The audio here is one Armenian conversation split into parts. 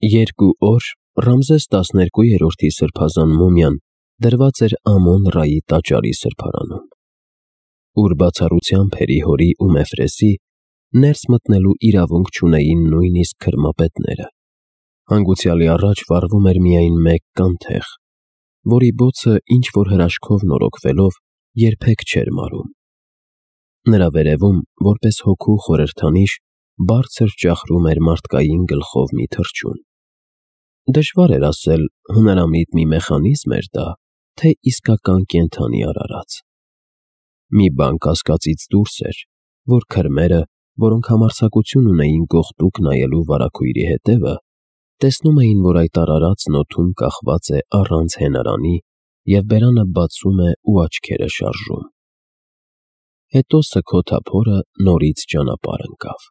Երկու օր Ռամզես 12-րդի սրբազան մումիան դրված էր Ամոն-Ռայի տաճարի սրբարանում, ուր բացառությամբ Հերի-Հորի ու Մեֆրեսի ներս մտնելու իրավունք չունեին նույնիսկ քրմապետները։ Հանգուցյալի առաջ վառվում էր միայն մեկ կանթեղ, որի բոցը ինչ-որ հրաշքով նորոգվելով երբեք չէր մարում։ Նրա վերևում, որպես հոգու խորհրդանիշ, բարձր ճախրում էր մարդկային գլխով մի թռչուն։ Դժվար էր ասել, հունարամիտ մի մեխանիզմ էր դա, թե իսկական կենդանի արարած։ Մի բան կասկածից դուրս էր, որ քրմերը, որոնք համարձակություն ունեին գողտուկ նայելու վարագույրի հետևը, տեսնում էին, որ այդ արարածն օդում կախված է առանց հենարանի և բերանը բացում է ու աչքերը շարժում։ Հետո սգոթափորը նորից ճանապարհ ընկավ։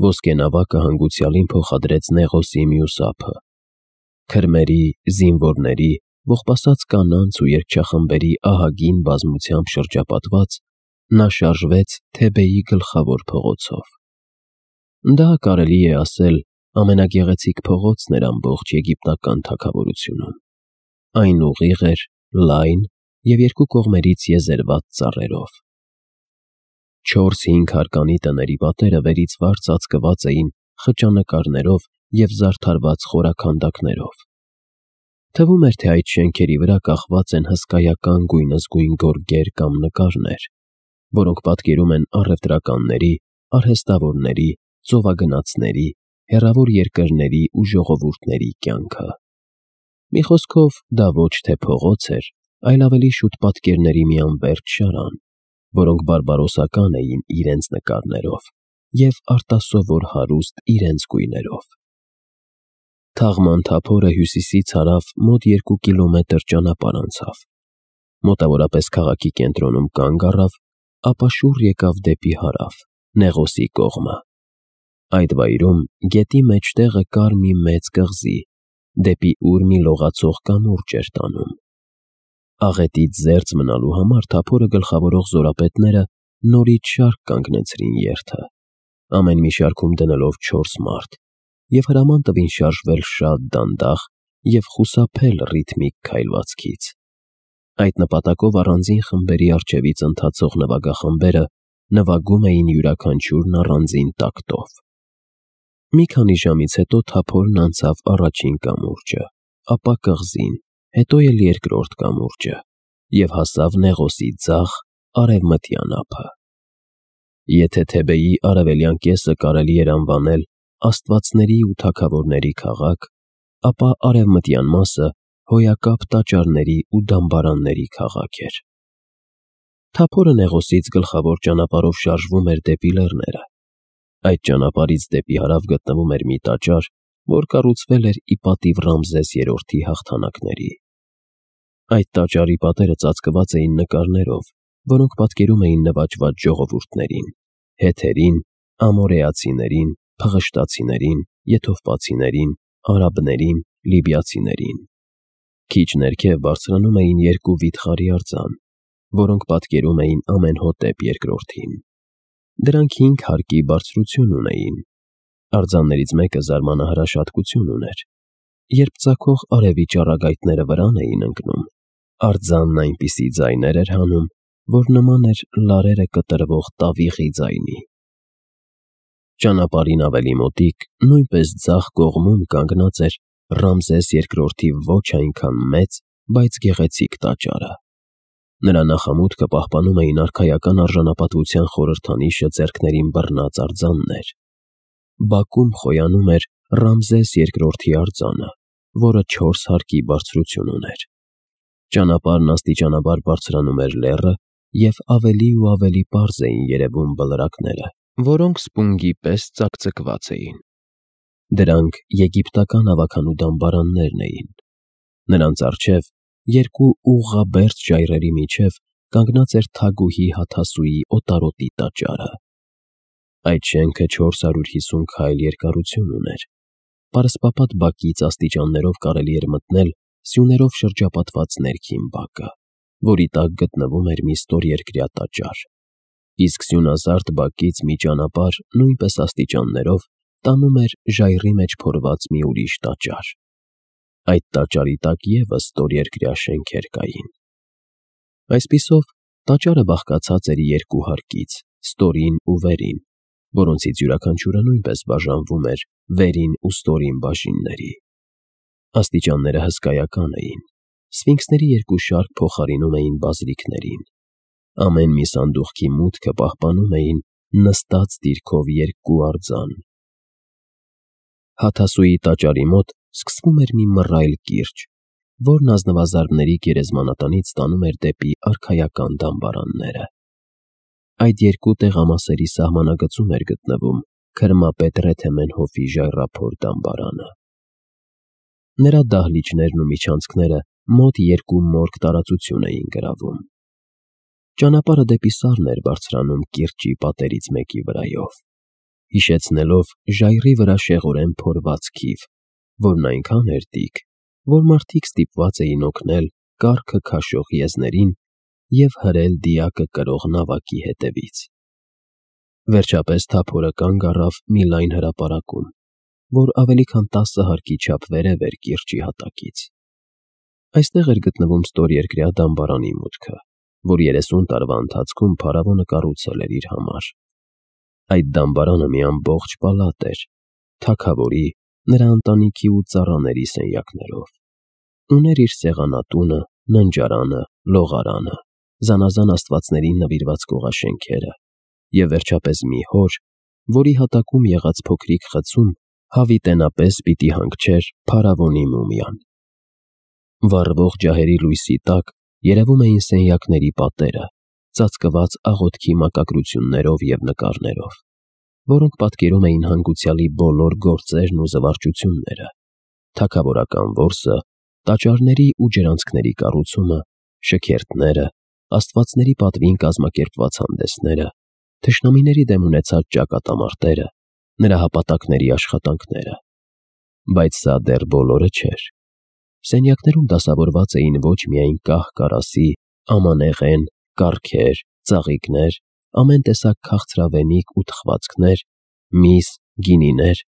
Ոսկե նավակը հանգուցյալին փոխադրեց Նեղոսի մյուս ափը։ Քրմերի, զինվորների, ողբասած կանանց ու երգչախմբերի ահագին բազմությամբ շրջապատված՝ նա շարժվեց Թեբեի գլխավոր փողոցով։ Դա, կարելի է ասել, ամենագեղեցիկ փողոցն էր ամբողջ եգիպտական թագավորությունում։ Այն ուղիղ էր, լայն և երկու կողմերից եզերված ծառերով։ 4-5 հարկանի տների պատերը վերից վար ծածկված էին խճանկարներով և զարդարված խորաքանդակներով։ Թվում էր, թե այդ շենքերի վրա կախված են հսկայական գույնզգույն գորգեր կամ նկարներ, որոնք պատկերում են առևտրականների, արհեստավորների, ծովագնացների, հեռավոր երկրների ու ժողովուրդների կյանքը։ Մի խոսքով, դա ոչ թե փողոց էր, այլ ավելի շուտ պատկերների մի անվերջ շարան, որոնք բարբարոսական էին իրենց նկարներով և արտասովոր հարուստ իրենց գույներով։ Թաղման թափորը հյուսիսից հարավ մոտ 2 կիլոմետր ճանապարհ անցավ, մոտավորապես քաղաքի կենտրոնում կանգ առավ, ապա շուռ եկավ դեպի հարավ, Նեղոսի կողմը։ Այդ վայրում գետի մեջտեղը կար մի մեծ կղզի, դեպի ուր մի լողացող կամուրջ էր տանում։ Աղետից զերծ մնալու համար թափորը գլխավորող զորապետները նորից շարք կանգնեցրին երթը, ամեն մի շարքում դնելով 4 մարդ, և հրաման տվին շարժվել շատ դանդաղ և խուսափել ռիթմիկ քայլվածքից։ Այդ նպատակով առանձին խմբերի առջևից ընթացող նվագախմբերը նվագում էին յուրաքանչյուրն առանձին տակտով։ Մի քանի ժամից հետո թափորն անցավ առաջին կամուրջը, ապա կղզին, հետո էլ երկրորդ կամուրջը և հասավ Նեղոսի ձախ արևմտյան ափը։ Եթե Թեբեի արևելյան կեսը կարելի էր անվանել աստվածների ու թագավորների քաղաք, ապա արևմտյան մասը հոյակապ տաճարների ու դամբարանների քաղաք էր։ Թափորը Նեղոսից գլխավոր ճանապարհով շարժվում էր դեպի լեռները։ Այդ ճանապարհից դեպի հարավ գտնվում էր մի տաճար, որ կառուցվել էր ի պատիվ Ռամզես III-ի հաղթանակների։ Այդ տաճարի պատերը ծածկված էին նկարներով, որոնք պատկերում էին նվաճված ժողովուրդներին՝ հեթերին, ամորեացիներին, փղշտացիներին, եթովպացիներին, արաբներին, լիբիացիներին։ Քիչ ներքև բարձրանում էին 2 վիթխարի արձան, որոնք պատկերում էին Ամենհոտեպ II-ին։ Դրանք 5 հարկի բարձրություն ունեին։ Արձաններից մեկը զարմանահրաշ հատկություն ուներ. երբ ծագող արևի ճառագայթները վրան էին ընկնում, արձանն այնպիսի ձայներ էր հանում, որ նման էր լարերը կտրվող տավիղի ձայնի։ Ճանապարհին ավելի մոտիկ, նույնպես ձախ կողմում կանգնած էր Ռամզես II-ի ոչ այնքան մեծ, բայց գեղեցիկ տաճարը։ Նրա նախամուտքը պահպանում էին արքայական արժանապատվության խորհրդանիշը ձեռքներին բռնած արձաններ։ Բակում խոյանում էր Ռամզես II-ի արձանը, որը 4 հարկի բարձրություն ուներ։ Ճանապարհն աստիճանաբար բարձրանում էր լեռը, և ավելի ու ավելի պարզ էին երևում բլրակները, որոնք սպունգի պես ծակծկված էին։ Դրանք եգիպտական ավագանու դամբարաններն էին։ Նրանց առջև, 2 ուղղաբերդ ժայռերի միջև, կանգնած էր թագուհի Հաթասուի օտարոտի տաճարը։ Այդ շենքը 450 քայլ երկարություն ուներ։ Պարսպապատ բակից աստիճաններով կարելի էր մտնել սյուներով շրջապատված ներքին բակը, որի տակ գտնվում էր մի ստորերկրյա տաճար, իսկ սյունազարդ բակից մի ճանապարհ նույնպես աստիճաններով տանում էր ժայռի մեջ փորված մի ուրիշ տաճար։ Այդ տաճարի տակ ևս ստորերկրյա շենքեր կային։ Այսպիսով, տաճարը բաղկացած էր երկու հարկից՝ ստորին ու վերին, որոնցից յուրաքանչյուրը նույնպես բաժանվում էր վերին ու ստորին բաժինների։ Աստիճանները հսկայական էին։ Սֆինքսների երկու շարք փոխարինում էին բազիլիկներին։ Ամեն մի սանդուղքի մուտքը պահպանում էին նստած դիրքով երկու արձան։ Հաթասուի տաճարի մոտ սկսվում էր մի մռայլ կիրճ, որն ազնվազարդների գերեզմանատնից տանում էր դեպի արքայական դամբարանները։ Այդ երկու տեղամասերի սահմանագծում էր գտնվում քրմապետ Ռեթեմենհոֆի ժայռափոր դամբարանը։ Նրա դահլիճներն ու միջանցքները մոտ 2 մորգ տարածություն էին գրավում։ Ճանապարհը դեպի սարն էր բարձրանում կիրճի պատերից մեկի վրայով, հիշեցնելով ժայռի վրա շեղորեն փորված քիվ, որն այնքան էր տիք, որ մարդիկ ստիպված էին օգնել կառքը քաշող եզներին և հրել դիակը կրող նավակի հետևից։ Վերջապես թափորը կանգ առավ մի լայն հրապարակում, որ ավելի քան 10 հարկի չափ վերև էր կիրճի հատակից։ Այստեղ էր գտնվում ստորերկրյա դամբարանի մուտքը, որ 30 տարվա ընթացքում փարավոնը կառուցել էր իր համար։ Այդ դամբարանը մի ամբողջ պալատ էր, թագավորի, նրա ընտանիքի ու ծառաների սենյակներով։ Ուներ իր սեղանատունը, ննջարանը, լողարանը, զանազան աստվածներին նվիրված կողաշենքերը և վերջապես մի հոր, որի հատակում եղած փոքրիկ խցում հավիտենապես պիտի հանգչեր փարավոնի մումիան։ Վառվող ջահերի լույսի տակ երևում էին սենյակների պատերը, ծածկված աղոթքի մակագրություններով և նկարներով, որոնք պատկերում էին հանգուցյալի բոլոր գործերն ու զվարճությունները, թագավորական որսը, տաճարների ու ջրանցքների կառուցումը, շքերթները, աստվածների պատվին կազմակերպված հանդեսները, թշնամիների դեմ ունեցած ճակատամարտերը, նրա հապատակների աշխատանքները։ Բայց սա դեռ բոլորը չէր։ Սենյակներում դասավորված էին ոչ միայն կահ-կարասի, ամանեղեն, կառքեր, ծաղիկներ, ամեն տեսակ քաղցրավենիք ու թխվածքներ, միս, գինիներ,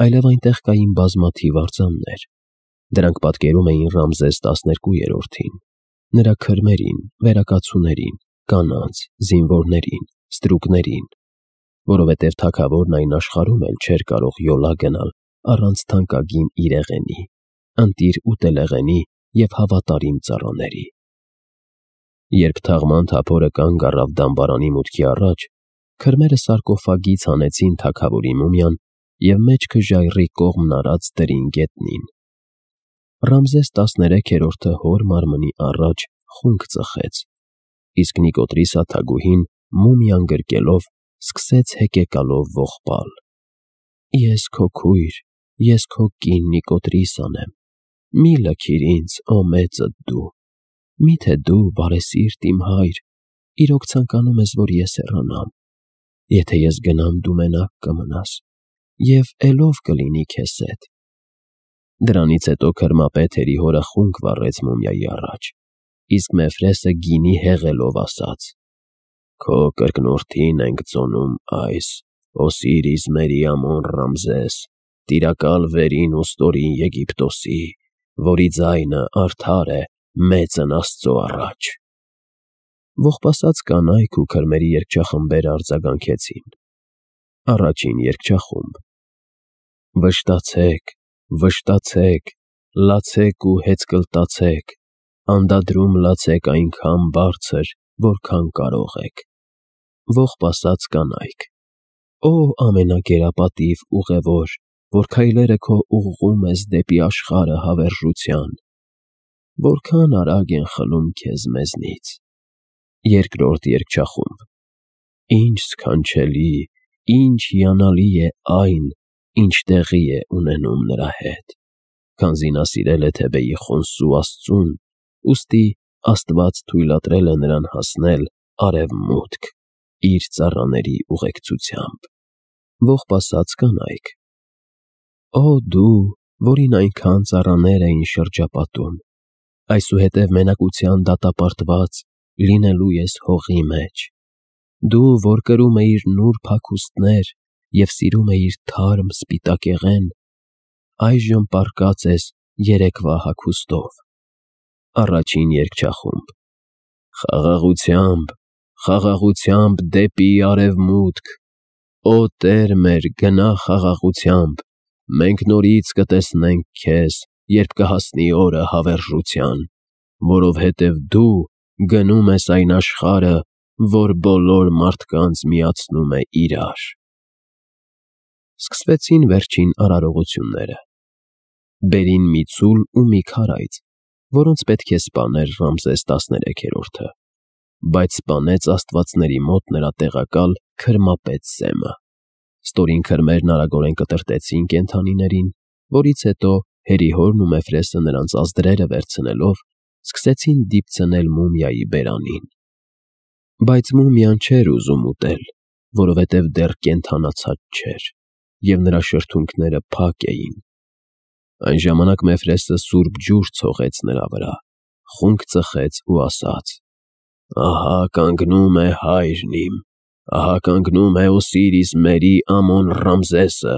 այլև այնտեղ կային բազմաթիվ արձաններ։ Դրանք պատկերում էին Ռամզես 12-րդին, նրա քրմերին, վերակացուներին, կանանց, զինվորներին, ստրուկներին, որովհետև թագավորն այն աշխարհում էլ չէր կարող յոլա գնալ առանց թանկագին իրեղենի, ընտիր ուտելեղենի և հավատարիմ ծառաների։ Երբ թաղման թափորը կանգ առավ դամբարանի մուտքի առաջ, քրմերը սարկոֆագից հանեցին թագավորի մումիան և մեջքը ժայռի կողմն արած դրին գետնին։ Ռամզես 13-րդը հոր մարմնի առաջ խունկ ծխեց, իսկ Նիկոտրիսա թագուհին մումիան գրկելով սկսեց հեկեկալով ողբալ. «Ես քո քույր, ես քո կին Նիկոտրիսան եմ, մի լքիր ինձ, ո մեծդ դու, միթե դու, բարեսիրտ իմ հայր, իրոք ցանկանում ես, որ ես հեռանամ, եթե ես գնամ, դու մենակ կմնաս, և էլով կլինի քեզ հետ»։ Դրանից հետո քրմապետ հորը խունկ վառեց մումիայի առաջ, իսկ Մեֆրեսը գինի հեղելով ասաց. «Քո կրկնորդին ենք ծոնում այս, Օսիրիս Մերիամոն Ռամզես, տիրակալ վերին ու ստորին Եգիպտոսի, որի ձայնը արդար է մեծն Աստծո առաջ»։ Ողբասած կանայք ու քրմերի երգչախմբերը արձագանքեցին։ Առաջին երգչախումբ. Վշտացեք, վշտացեք, լացեք ու հեծկլտացեք, անդադրում լացեք այնքան բարձր, որքան կարող եք։ Ողբասած կանայք. Ո ամենագերապատիվ ուղևոր, որ քայլերը քո ուղղում ես դեպի աշխարհը հավերժության, որքան արագ են խլում քեզ մեզնից։ Երկրորդ երգչախումբ. Ինչ սքանչելի, ինչ հիանալի է այն, ինչ տեղի է ունենում նրա հետ, քանզի նա սիրել է Թեբեի խոնսու Աստծուն, ուստի Աստված թույլատրել է նրան հասնել արևմուտք իր ծառաների ուղեկցությամբ։ Ողբասած կանայք. Ո դու, որին այնքան ծառաներ էին շրջապատում, այսուհետև մենակության դատապարտված լինելու ես հողի մեջ, դու, որ կրում էիր նուրբ հագուստներ և սիրում էիր թարմ սպիտակեղեն, այժմ պառկած ես երեկվա հագուստով։ Առաջին երգչախումբ. Խաղաղությամբ, խաղաղությամբ դեպի արևմուտք, Օ Տեր մեր, գնա խաղաղությամբ, մենք նորից կտեսնենք քեզ, երբ կհասնի օրը հավերժության, որովհետև դու գնում ես այն աշխարհը, որ բոլոր մարդկանց միացնում է իրար։ Սկսվեցին վերջին արարողությունները։ Բերին մի ցուլ ու մի քարայծ, որոնց պետք է սպաներ Ռամզես 13-րդը, բայց սպանեց աստվածների մոտ նրա տեղակալ քրմապետ Սեմը։ Ստորին քրմերն արագորեն կտրտեցին կենդանիներին, որից հետո Հերիհորն ու Մեֆրեսը նրանց ազդրերը վերցնելով սկսեցին դիպցնել մումիայի բերանին։ Բայց մումիան չէր ուզում ուտել, որովհետև դեռ կենդանացած չէր, և նրա շրթունքները փակ էին։ Այն ժամանակ Մեֆրեսը սուրբ ջուր ցողեց նրա վրա, խունկ ծխեց ու ասաց. Ահա կանգնում է հայրն իմ, ահա կանգնում է Օսիրիս մերի Ամոն Ռամզեսը։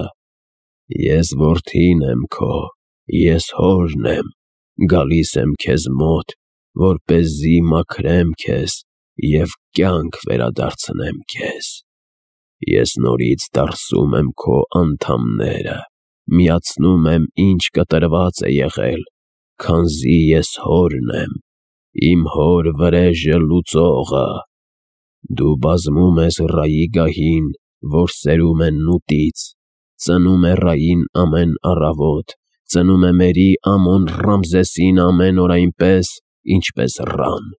Ես որդին եմ քո, ես հորն եմ, գալիս եմ քեզ մոտ, որպեսզի մաքրեմ քեզ և կյանք վերադարձնեմ քեզ։ Ես նորից դարսում եմ քո անդամները, միացնում եմ, ինչ կտրված է եղել, քանզի ես հորն եմ, իմ հոր վրեժը լուծողը։ Դու բազմում ես Ռայի գահին, որ սերում է նուտից, ծնում է Ռային ամեն առավոտ, ծնում է մերի Ամոն Ռամզեսին ամեն օր այնպես, ինչպես Ռան։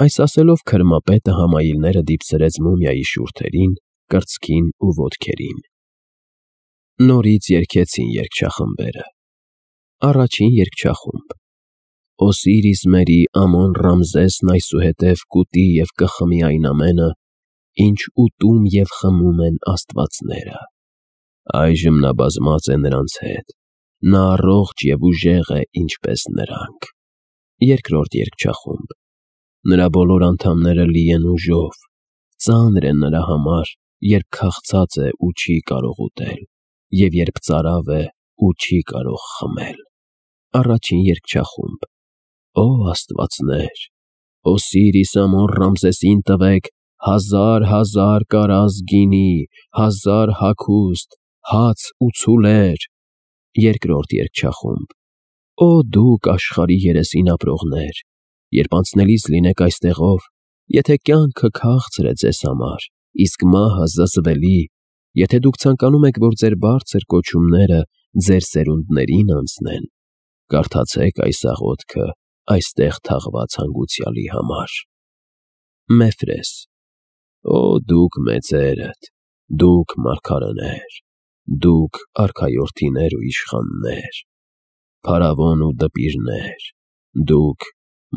Այս ասելով քրմապետը համայիլները դիպցրեց մումիայի շուրթերին, կրծքին ու ոտքերին։ Նորից երգեցին երգչախմբերը։ Առաջին երգչախումբ. Օսիրիս մերի Ամոն Ռամզեսն այսուհետև կուտի և կխմի այն ամենը, ինչ ուտում և խմում են աստվածները։ Այժմ նա բազմած է նրանց հետ, նա առողջ և ուժեղ է, ինչպես նրանք։ Երկրորդ երգչախումբ. Նրա բոլոր անդամները լի են ուժով, ծանր է նրա համար, երբ քաղցած է ու չի կարող ուտել, և երբ ծարավ է ու չի կարող խմել։ Առաջին երգչախումբ. Օ աստվածներ, Օսիրիս Ամոն Ռամզեսին տվեք 1000 կարազ գինի, 1000 հագուստ, հաց ու ցուլեր։ Երկրորդ երգչախումբ. Օ դուք աշխարհի երեսին ապրողներ, երբ անցնելիս լինեք այստեղով, եթե կյանքը քաղցր է ձեզ համար, իսկ մահը զզվելի, եթե դուք ցանկանում եք, որ ձեր բարձր կոչումները ձեր սերունդներին անցնեն, կարդացեք այս աղոթքը այստեղ թաղված հանգուցյալի համար։ Մեֆրես. Օ դուք մեծերդ, դուք մարգարեներ, դուք արքայորդիներ ու իշխաններ, փարավոն ու դպիրներ, դուք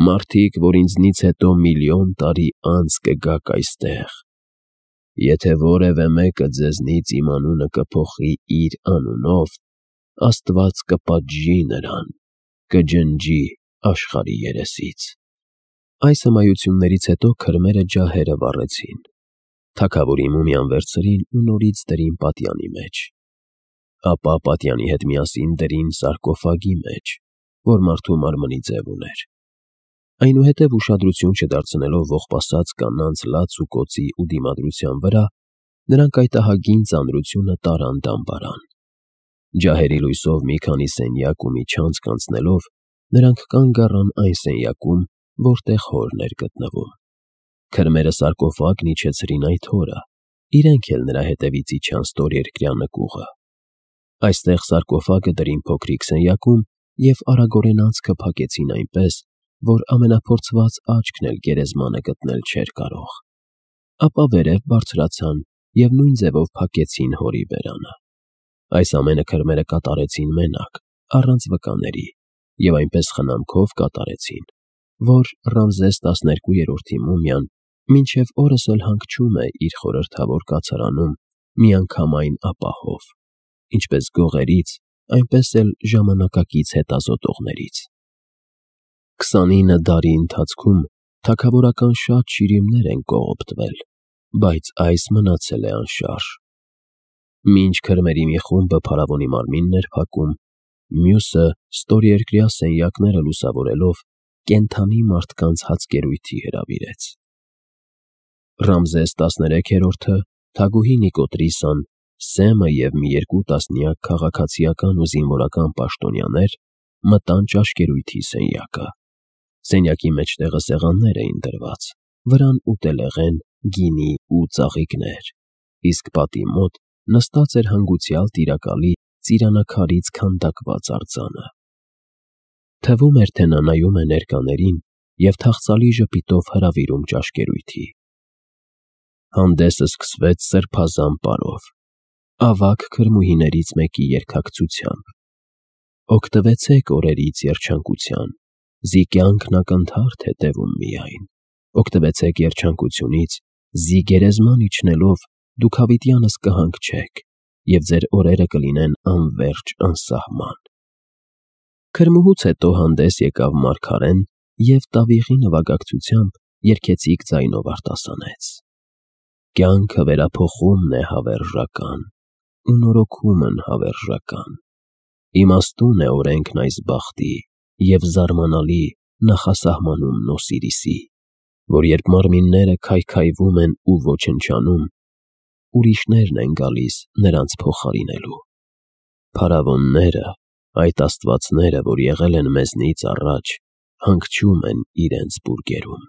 մարդիկ, որ ինձնից հետո միլիոն տարի անց կգաք այստեղ, եթե որևէ մեկը ձեզնից իմ անունը կփոխի իր անունով, Աստված կպատժի նրան, կջնջի աշխարհի երեսից։ Այս հմայություններից հետո քրմերը ջահերը վառեցին, թագավորի մումիան վերցրին ու նորից դրին պատյանի մեջ, ապա պատյանի հետ միասին դրին սարկոֆագի մեջ, որ մարդու մարմնի ձև ուներ։ Այնուհետև ուշադրություն չդարձնելով ողբասած կանանց լաց ու կոծի ու դիմադրության վրա, նրանք այդ ահագին ծանրությունը տարան դամբարան։ Ջահերի լույսով մի քանի սենյակ ու մի չանցք անցնելով, նրանք կանգ առան այն սենյակում, որտեղ հորն էր գտնվում։ Քրմերը սարկոֆագն իջեցրին այդ հորը, իրենք էլ նրա հետևից իջան ստորերկրյա նկուղը։ Այստեղ սարկոֆագը դրին փոքրիկ սենյակում և արագորեն անցքը փակեցին այնպես, որ ամենափորձված աչքն էլ գերեզմանը գտնել չէր կարող։ Ապա վերև բարձրացան և նույն ձևով փակեցին հորի բերանը։ Այս ամենը քրմերը կատարեցին մենակ, առանց վկաների, և այնպես խնամքով կատարեցին, որ Ռամզես 12-րդի մումիան մինչև օրս էլ հանգչում է իր խորհրդավոր կացարանում միանգամայն ապահով, ինչպես գողերից, այնպես էլ ժամանակակից հետազոտողներից։ 29 դարի ընթացքում թագավորական շատ շիրիմներ են կողոպտվել, բայց այս մնացել է անշարժ, Մինչ քրմերի մի խումբը փարավոնի մարմինն էր փակում, մյուսը ստորերկրյա սենյակները լուսավորելով կենդանի մարդկանց հացկերույթի հրավիրեց։ Ռամզես 13-րդը, թագուհի Նիկոտրիսան, Սեմը և մի երկու տասնյակ քաղաքացիական ու զինվորական պաշտոնյաներ մտան ճաշկերույթի սենյակը։ Սենյակի մեջտեղը սեղաններ էին դրված, վրան ուտելեղեն, գինի ու ծաղիկներ, իսկ պատի մոտ նստած էր հանգուցյալ տիրակալի ծիրանակալից քանդակված արձանը։ Թվում էր, թե նա նայում է ներկաներին և թախծալի ժպիտով հրավիրում ճաշկերույթի։ Հանդեսը սկսվեց սրբազան պարով, ավագ քրմուհիներից մեկի երգակցությամբ. «Օգտվեցեք օրերից երջանկության, զի կյանքն ակնթարթ է տևում միայն, օգտվեցեք երջանկությունից, զի գերեզման իջնելով դուք հավիտյանս կհանգչեք, և ձեր օրերը կլինեն անվերջ անսահման»։ Քրմուհուց հետո հանդես եկավ մարգարեն և տավիղի նվագակցությամբ երգեցիկ ձայնով արտասանեց. «Կյանքը վերափոխումն է հավերժական, ու նորոգումն հավերժական, իմաստուն է օրենքն այս բախտի և զարմանալի նախասահմանումն Օսիրիսի, որ երբ մարմինները քայքայվում են ու ոչնչանում, ուրիշներն են գալիս նրանց փոխարինելու։ Փարավոնները, այդ աստվածները, որ եղել են մեզնից առաջ, հանգչում են իրենց բուրգերում։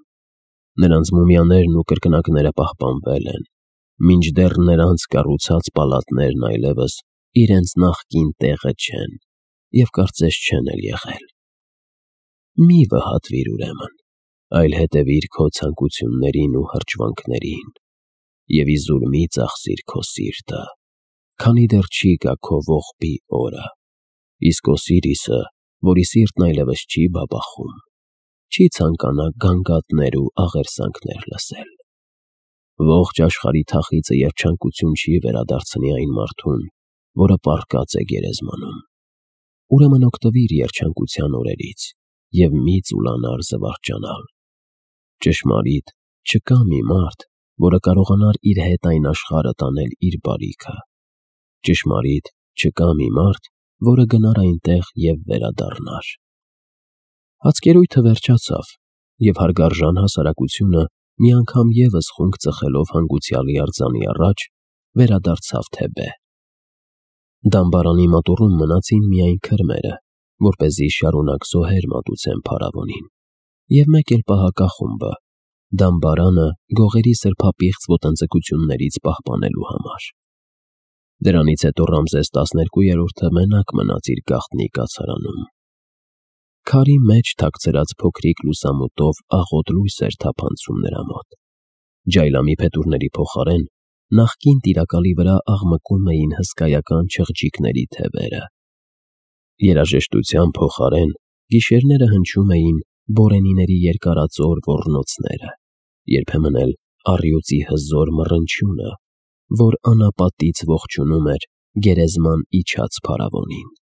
Նրանց մումիաներն ու կրկնակները պահպանվել են, մինչդեռ նրանց կառուցած պալատներն այլևս իրենց նախկին տեղը չեն և կարծես չեն էլ եղել։ Մի վհատվիր ուրեմն, այլ հետևիր քո ցանկություններին ու հրճվանքներին, և իզուր մի ծախսիր քո սիրտը, քանի դեռ չի գա քո ողբի օրը, իսկ Օսիրիսը, որի սիրտն այլևս չի բաբախում, չի ցանկանա գանգատներ ու աղերսանքներ լսել։ Ողջ աշխարհի թախիծը երջանկություն չի վերադարձնի այն մարդուն, որը պառկած է գերեզմանում։ Ուրեմն օգտվիր երջանկության օրերից և մի ծուլանար զվարճանալ։ Ճշմարիտ, չկա մի մարդ, որը կարողանար իր հետ այն աշխարհը տանել իր բարիքը։ Ճշմարիտ, չկա մի մարդ, որը գնար այնտեղ և վերադառնար։ Հացկերույթը վերջացավ, և հարգարժան հասարակությունը, մի անգամ ևս խունկ ծխելով հանգուցյալի արձանի առաջ, վերադարձավ Թեբե։ Դամբարանի մատուռում մնացին միայն քրմերը, որպեսզի շարունակ զոհեր մատուցեն փարավոնին, և մեկ էլ պահակախումբը, դամբարանը գողերի սրբապիղծ ոտնձգություններից պահպանելու համար։ Դրանից հետո Ռամզես 12-րդը մենակ մնաց իր գաղտնի կացարանում։ Քարի մեջ թաքցրած փոքրիկ լուսամուտով աղոտ լույս էր թափանցում նրա մոտ։ Ջայլամի փետուրների փոխարեն նախկին տիրակալի վրա աղմկում էին հսկայական չղջիկների թևերը։ Երաժշտության փոխարեն գիշերները հնչում էին բորենիների երկարածոր ոռնոցները, երբեմն էլ առյուծի հզոր մռնչյունը, որ անապատից ողջունում էր գերեզման իջած փարավոնին։